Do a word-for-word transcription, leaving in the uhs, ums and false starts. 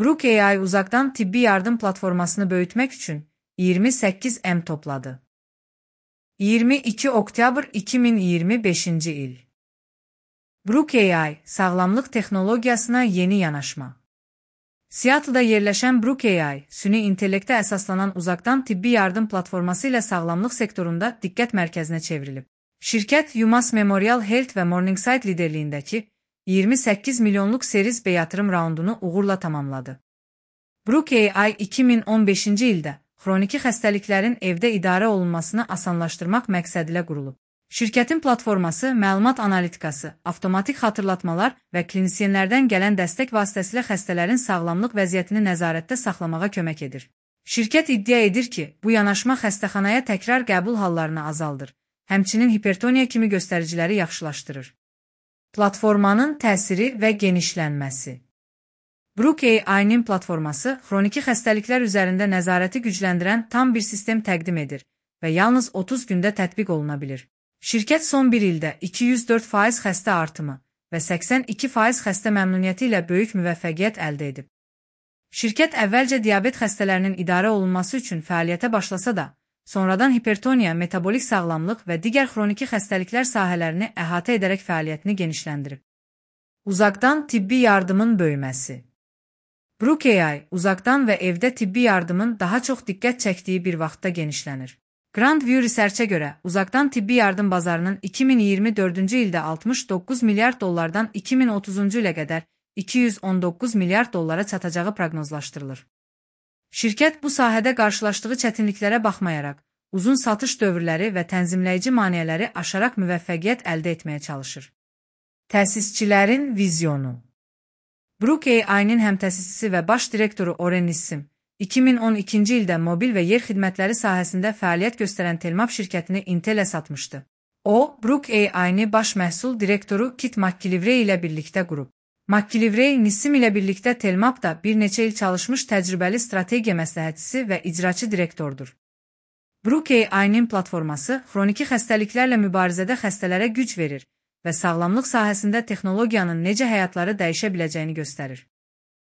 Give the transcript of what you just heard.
Brook A I uzaktan tibbi yardım platformasını böyütmek üçün iyirmi səkkiz M topladı. iyirmi iki oktyabr iki min iyirmi beşinci il. Brook A I, sağlamlıq texnologiyasına yeni yanaşma. Seattle'da yerləşən Brook A I, süni intellektə əsaslanan uzaqdan tibbi yardım platforması ilə sağlamlıq sektorunda diqqət mərkəzinə çevrilib. Şirkət UMass Memorial Health və Morningside liderliyindəki iyirmi səkkiz milyonluq Series B yatırım raundunu uğurla tamamladı. Brook A I iki min on beşinci ildə xroniki xəstəliklərin evdə idarə olunmasını asanlaşdırmaq məqsədilə qurulub. Şirkətin platforması məlumat analitikası, avtomatik xatırlatmalar və klinisyenlərdən gələn dəstək vasitəsilə xəstələrin sağlamlıq vəziyyətini nəzarətdə saxlamağa kömək edir. Şirkət iddia edir ki, bu yanaşma xəstəxanaya təkrar qəbul hallarını azaldır, həmçinin hipertoniya kimi göstəriciləri yaxşılaşdırır. Platformanın təsiri və genişlənməsi. Brook A I-nin platforması xroniki xəstəliklər üzərində nəzarəti gücləndirən tam bir sistem təqdim edir və yalnız otuz gündə tətbiq oluna bilir. Şirkət son bir ildə iki yüz dörd faiz xəstə artımı və səksən iki faiz xəstə məmnuniyyəti ilə böyük müvəffəqiyyət əldə edib. Şirkət əvvəlcə diabet xəstələrinin idarə olunması üçün fəaliyyətə başlasa da, sonradan hipertoniya, metabolik sağlamlıq və digər xroniki xəstəliklər sahələrini əhatə edərək fəaliyyətini genişləndirib. Uzaqdan tibbi yardımın böyüməsi. Brook A I, uzaqdan və evdə tibbi yardımın daha çox diqqət çəkdiyi bir vaxtda genişlənir. Grand View Research'ə görə, uzaqdan tibbi yardım bazarının iki min iyirmi dördüncü ildə altmış doqquz milyard dollardan iki min otuzuncu ilə qədər iki yüz on doqquz milyard dollara çatacağı proqnozlaşdırılır. Şirkət bu sahədə qarşılaşdığı çətinliklərə baxmayaraq, uzun satış dövrləri və tənzimləyici maneələri aşaraq müvəffəqiyyət əldə etməyə çalışır. Təsisçilərin vizyonu. Brook A I-nin həmtəsisçisi və baş direktoru Oren Nissim, iki min on ikinci ildə mobil və yer xidmətləri sahəsində fəaliyyət göstərən Telmap şirkətini Intel-ə satmışdı. O, Brook A I-ni baş məhsul direktoru Kit McKillivray ilə birlikdə qurub. McKillivray, Nissim ilə birlikdə Telmapda bir neçə il çalışmış təcrübəli strategiya məsləhətçisi və icraçı direktordur. Brook A I-nin platforması xroniki xəstəliklərlə mübarizədə xəstələrə güc verir və sağlamlıq sahəsində texnologiyanın necə həyatları dəyişə biləcəyini göstərir.